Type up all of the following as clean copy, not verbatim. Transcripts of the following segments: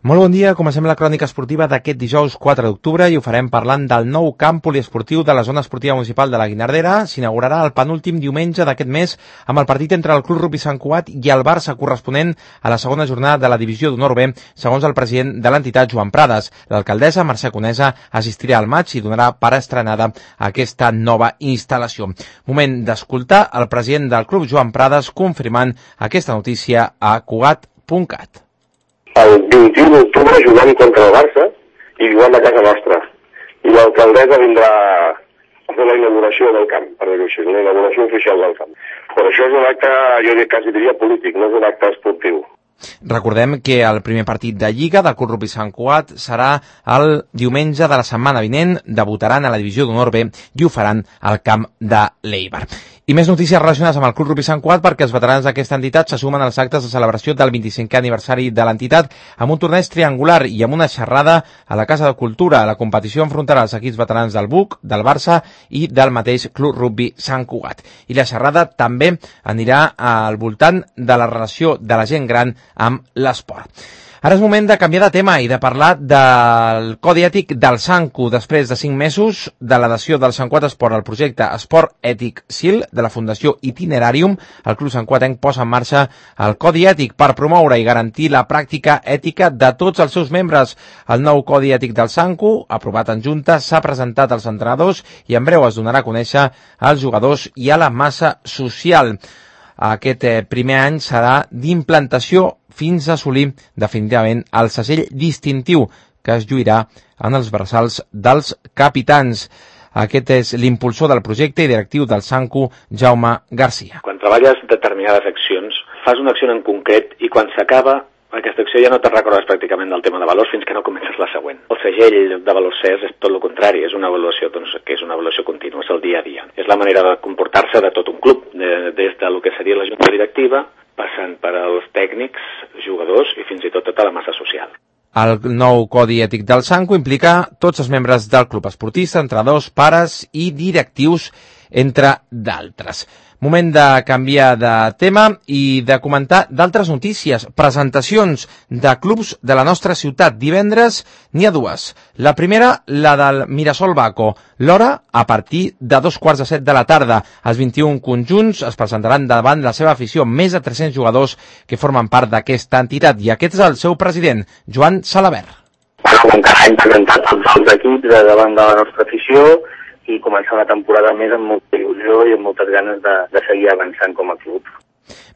Molt bon dia, comencem la crònica esportiva d'aquest dijous 4 d'octubre i ho farem parlant del nou camp poliesportiu de la zona esportiva municipal de la Guinardera. S'inaugurarà el penúltim diumenge d'aquest mes amb el partit entre el Club Rugby Sant Cugat i el Barça corresponent a la segona jornada de la divisió d'honor B, segons el president de l'entitat, Joan Prades. L'alcaldessa, Mercè Conesa, assistirà al maig i donarà per estrenada aquesta nova instal·lació. Moment d'escoltar el president del club, Joan Prades, confirmant aquesta notícia a Cugat.cat. El 21 d'octubre jugant contra el Barça i jugant a casa nostra. I l'alcaldessa vindrà a fer la inauguració del camp, per dir-ho així, la inauguració oficial del camp. Però això és un acte, jo quasi diria polític, no és un acte esportiu. Recordem que el primer partit de Lliga del Club Rugby Sant Cugat serà el diumenge de la setmana vinent. Debutaran a la divisió d'honor B i ho faran al camp de l'Eibar. I més notícies relacionades amb el Club Rugby Sant Cugat perquè els veterans d'aquesta entitat se sumen als actes de celebració del 25è aniversari de l'entitat amb un torneig triangular i amb una xerrada a la Casa de Cultura. La competició enfrontarà els equips veterans del BUC, del Barça i del mateix Club Rugby Sant Cugat. I la xerrada també anirà al voltant de la relació de la gent gran amb l'esport. Ara és moment de canviar de tema i de parlar del codi ètic del SANCU després de 5 mesos de l'adhesió del Sant Cugat Esport al projecte Esport Ètic SIL de la Fundació Itinerarium. El Club Sant Cuatenc posa en marxa el codi ètic per promoure i garantir la pràctica ètica de tots els seus membres. El nou codi ètic del SANCU, aprovat en Junta, s'ha presentat als entrenadors i en breu es donarà a conèixer als jugadors i a la massa social. Aquest primer any serà d'implantació fins a assolir definitivament el segell distintiu que es lluirà en els braçals dels capitans. Aquest és l'impulsor del projecte i directiu del SANCU, Jaume Garcia. Quan treballes determinades accions, fas una acció en concret i quan s'acaba aquesta acció ja no te'n recordes pràcticament del tema de valors fins que no comences la següent. El segell de valors CES és tot el contrari, és una avaluació que és una avaluació contínua, és el dia a dia. És la manera de comportar-se de tot un club, des del que seria la junta directiva, passant per als tècnics, jugadors i fins i tot tota la massa social. El nou codi ètic del SANCU implica tots els membres del club, esportistes, entrenadors, pares i directius, entre d'altres. Moment de canviar de tema i de comentar d'altres notícies. Presentacions de clubs de la nostra ciutat. Divendres n'hi ha dues. La primera, la del Mirasol Baco. L'hora, a partir de 2:15 de la tarda. Els 21 conjunts es presentaran davant la seva afició, més de 300 jugadors que formen part d'aquesta entitat. I aquest és el seu president, Joan Salabert. Bueno, encara hem presentat tots els equips davant de la nostra afició i començar una temporada més amb molta il·lusió i amb moltes ganes de seguir avançant com a club.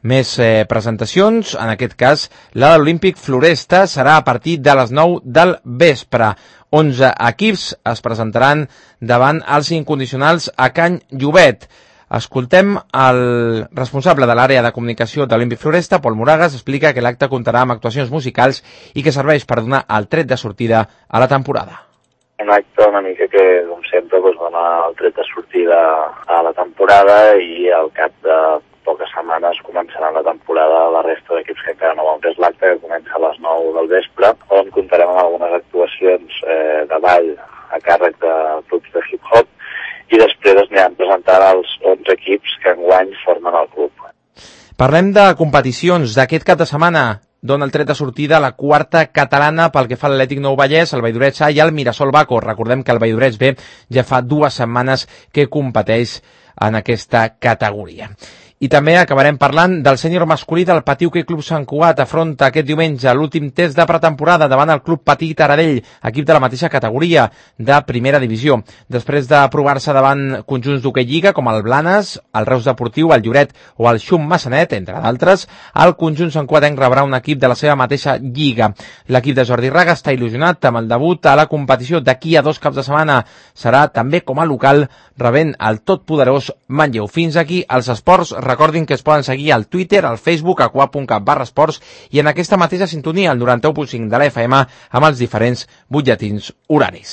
Més presentacions, en aquest cas la de l'Olímpic Floresta serà a partir de les 9 del vespre. 11 equips es presentaran davant els incondicionals a Can Llobet. Escoltem el responsable de l'àrea de comunicació de l'Olímpic Floresta, Pol Moragas, explica que l'acte comptarà amb actuacions musicals i que serveix per donar el tret de sortida a la temporada. Un acte una mica que, com sempre, dona el tret de sortida a la temporada i al cap de poques setmanes començarà la temporada la resta d'equips que encara no ho han pres l'acte, que comença a les 9 del vespre, on comptarem amb algunes actuacions de ball a càrrec de grups de hip-hop i després es aniran presentant els 11 equips que enguany formen el club. Parlem de competicions d'aquest cap de setmana. Dona el tret de sortida a la quarta catalana pel que fa a l'Atlètic Nou Vallès, el Valldoreig A i el Mirasol Baco. Recordem que el Valldoreig B ja fa 2 setmanes que competeix en aquesta categoria. I també acabarem parlant del sènior masculí del Patí Hoquei Club Sant Cugat. Afronta aquest diumenge l'últim test de pretemporada davant el Club Patí Taradell, equip de la mateixa categoria de primera divisió. Després de provar-se davant conjunts d'hoquei lliga com el Blanes, el Reus Deportiu, el Lloret o el Xum Massanet, entre d'altres, el conjunt Sant Cuatenc rebrà un equip de la seva mateixa lliga. L'equip de Jordi Raga està il·lusionat amb el debut a la competició d'aquí a 2 caps de setmana. Serà també com a local rebent el totpoderós Manlleu. Fins aquí els esports. Recordin que es poden seguir al Twitter, al Facebook, a cuap.cat/esports i en aquesta mateixa sintonia, el 91.5 de la FM, amb els diferents butlletins horaris.